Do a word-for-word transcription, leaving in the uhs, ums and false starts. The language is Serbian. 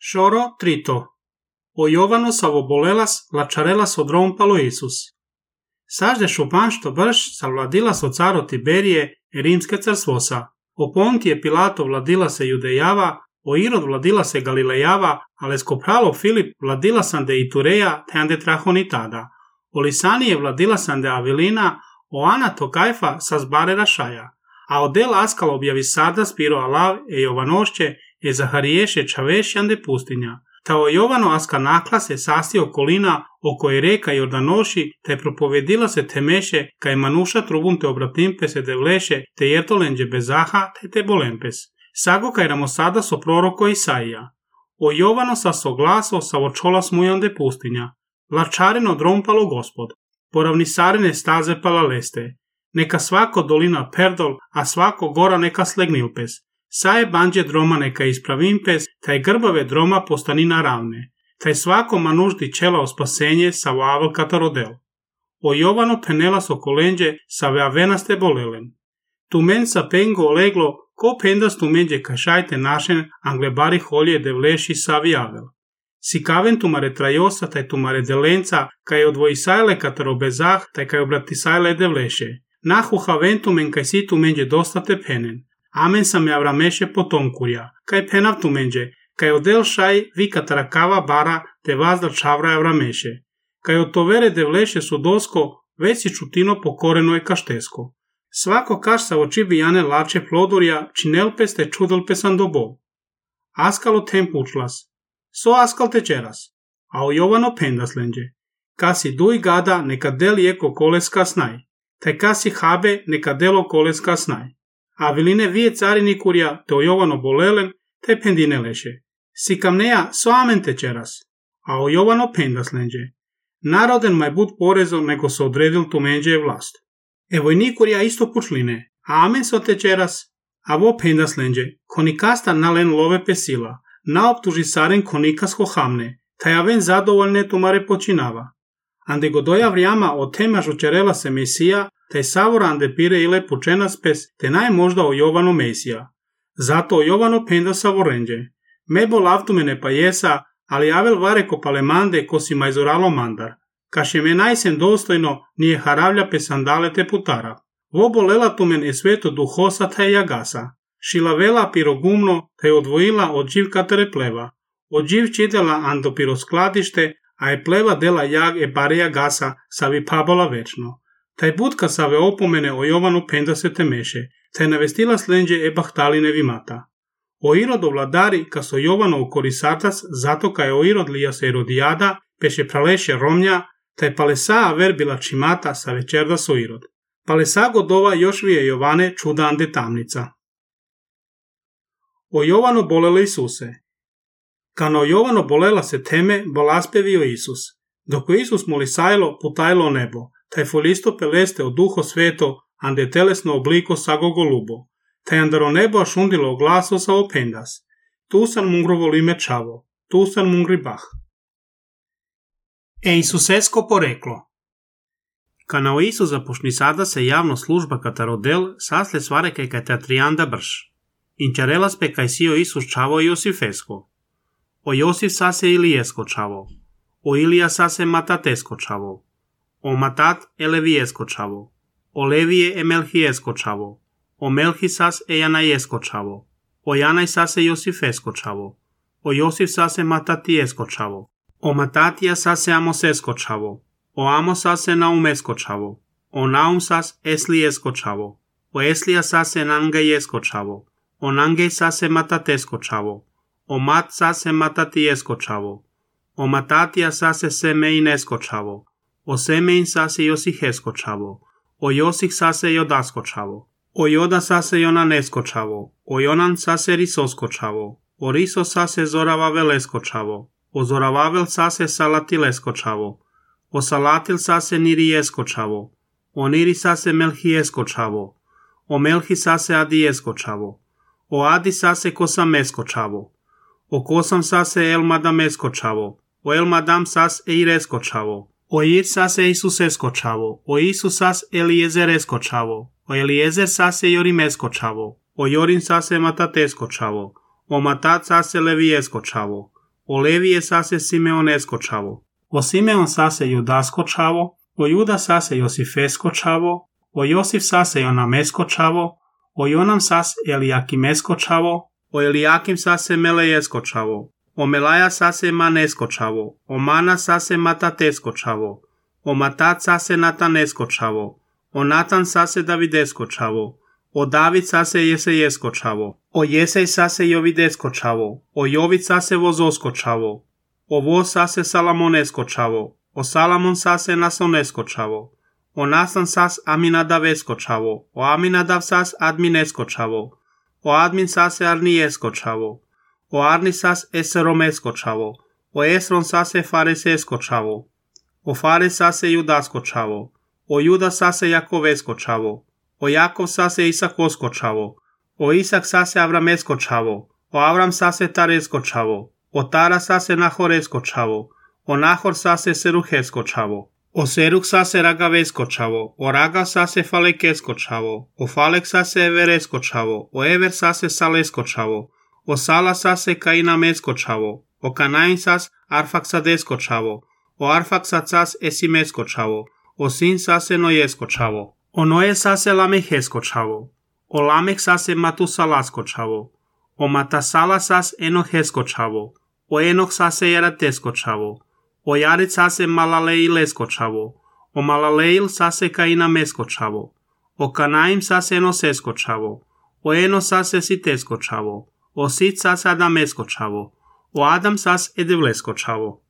Šoro trito. O Jovano savobolelas lačarelas odrompalo Isus. Sažde šupanšto brš savladila so caro Tiberije e rimske carstvosa. O Pontije Pilato vladila se Judejava, o Irod vladila se Galilejava, alesko pralo Filip vladila sam de Itureja te ande trahonitada. O Lisanije vladila sam de Avilina, o Ana to Kajfa sa zbare Rašaja. A o del Askal objavi sada spiro Alav e Jovanošće e Zahariješe Čavešjan de pustinja. Ta o Jovano aska nakla se sasti okolina oko je reka Jordanoši, te propovedila se temeše kaj manuša trubun te obratimpe se de vleše te jertolenđe bezaha te te bolempes. Sago kaj ramosada so proroko Isaija. O Jovano sa so glaso sa očola smujan de pustinja. Lačareno drompalo Gospod. Poravnisarene staze palaleste. Neka svako dolina perdol, a svako gora neka slegnilpes. Saje banđe droma neka ispravimpes, taj grbave droma postanina ravne. Taj svako manuždi čela o spasenje sa vavel katarodel. O Jovano penela so kolenđe sa veavenaste bolelen. Tu men sa pengo oleglo, ko pendas tu menđe kašajte našen anglebari holje de vleši sa viavel. Si kaven tu mare trajosa, taj tu mare delenca, kaj odvojisajle katarobezah, taj kaj obratisajle de vleše. Nahu haventu men kaj si tu menđe dostate penen. Amen sam je avrameše potomkurja, kaj penav tu menđe, kaj odel šaj vi katarakava bara te vazda čavra avrameše. Kaj od tovere de vleše su dosko, već si čutino pokoreno je kaštesko. Svako kaš sa oči bijane lače plodurja, činelpes te čudelpesan dobo. Askalo tempučlas. So askal tečeras. A o Jovano pendaslenđe. Kasi duj gada neka del jeko koleska snaj. Taj kasi habe neka delo koleska snaj. A viline vije carini kurja te o Jovano bolelen te pendine leše. Si kamneja so amen tečeras. A o Jovano pendaslenđe. Naroden maj bud porezom nego se odredil tu menđe je vlast. Evo i nikurja isto pučline. A amen so tečeras. A vo pendaslenđe. Konikasta nalen love pesila. Naoptuži saren konikas hohamne. Taj aven zadovoljne tumare počinava. Ande godoja vrijama o tema žučerela se Mesija, taj savora ande pire ile pučenaspes, te naj možda o Jovano Mesija. Zato o Jovano penda savorenđe. Mebo lavtumene pa jesa, ali avel vare ko palemande ko si majzoralo mandar. Kaše me najsen dostojno nije haravlja pe sandale te putara. Vo bolela tumen e sveto duhosa taj jagasa. Šilavela pirogumno te odvojila od živ katere pleva. Od živ čidela ando piro skladište, a je pleva dela jag e bareja gasa savi pabola večno. Taj budka save opomene o Jovanu penda se temeše, taj navestila slenđe e bahtaline vimata. O Irodo vladari ka so Jovano u korisatas, zato ka je o Irod lija se Irodijada, peše praleše Romnja, taj palesa verbila čimata sa večerda so Irod. Palesa godova još vije Jovane čudande tamnica. O Jovano bolele Isuse. Kano Jovano bolela se teme, bolaspevio Isus. Doko Isus molisajlo, putajlo nebo, taj folisto peleste o duho sveto, ande telesno obliko sago golubo, taj andaro nebo ašundilo glaso sa opendas. Tu san mungro volime čavo, tu san mungri bah. E Isusesko poreklo. Kanao Isus zapošni sada se javno služba katarodel sasle svare kaj kateatrianda brš. Inčarelas pe kaj sio Isus čavo Josifesko. O Josif sase Ilijesko čavo. O Ilija sase Matatesko čavo. O Matat Elevijesko čavo. O Levije e Melhijesko čavo. O Melhi sas e Janajesko čavo. O Janaj sase Josifesko čavo. O Josif sase Matatijesko čavo. O Matatija sase Amosesko čavo. O Amos sase Naumesko čavo. O Naum sas Eslijesko čavo. O Eslija sase Nangajesko čavo. O Nangej sase Matatesko čavo. O Mat sase Matatijesko čavo. O Matatija sase Semeinesko čavo. O Semein sase Josihesko čavo. O Josih sase Jodasko čavo. O Joda sase Jonanesko čavo. O Jonan sase Risosko čavo. O Riso sase Zoravavelesko čavo. O Zoravavel sase Salatilesko čavo. O Salatil sase Nirijesko čavo. O Niri sase Melhijesko čavo. O Melhi sase Adijesko čavo. O Adi sase Kosamesko čavo. O Kosam sase Elmadamesko čavo. O Elmadam sas Eiresko čavo. O Ir sase Isusesko čavo. O Isus sas Eliezeresko čavo. O Eliezer sase Jorimesko čavo. O Jorin sase Matatesko čavo. O Matat sase Levijesko čavo. O Levije sase Simeonesko čavo. O Simeon sase Judasko čavo. O Juda sase Josifesko čavo. O Josif sase Jonamesko čavo. O Jonam sas Eliakimesko čavo. O Eliakim sase Melejesko čavo. O Melaja sase Manesko čavo. O Mana sase Matatesko čavo. O Matat sase Natanesko čavo. O Natan sase Davidesko čavo. O David sase Jesejesko čavo. O Jesej sase Jovidesko čavo. O Jovid sase Vozosko čavo. O Voz sase Salamonesko čavo. O Salamon sase Nasonesko čavo. O Nasan sas Aminadavesko čavo. O Aminadav sas Adminesko čavo. O Admin sase Arnijesko čavo. O Arni sas Eseromesko čavo. O Esron sase Farisesko čavo. O Fares sase Judasko čavo. O Juda sase Jakovesko čavo. O Jakov sase Isakosko čavo. O Isak sase Avramesko čavo. O Avram sase Taresko čavo. O Tara sase Nahoresko čavo. O Nahor sase Seruhesko čavo. O Seruh sase Ragavesko čavo. O Ragav sase Falekesko čavo. O Falek sase Everesko čavo. O Ever sase Salesko čavo. O Sala sase Kainamesko čavo. O Kanain sas Arfaksadesko čavo. O Arfaksad sas Esimesko čavo. O Sin sase Nojesko čavo. O Noje sase Lamehesko čavo. O Lameh sase Matusalasko čavo. O Matasala sas Enohesko čavo. O Enoch sase Jeratesko čavo. O Jared sase Malaleilesko čavo. O Malaleil sase Kainamesko čavo. O Kanaim sase Enosesko čavo. O Eno sase Sitesko čavo. O Sit sase Adamesko čavo. O Adam sas Edevlesko čavo.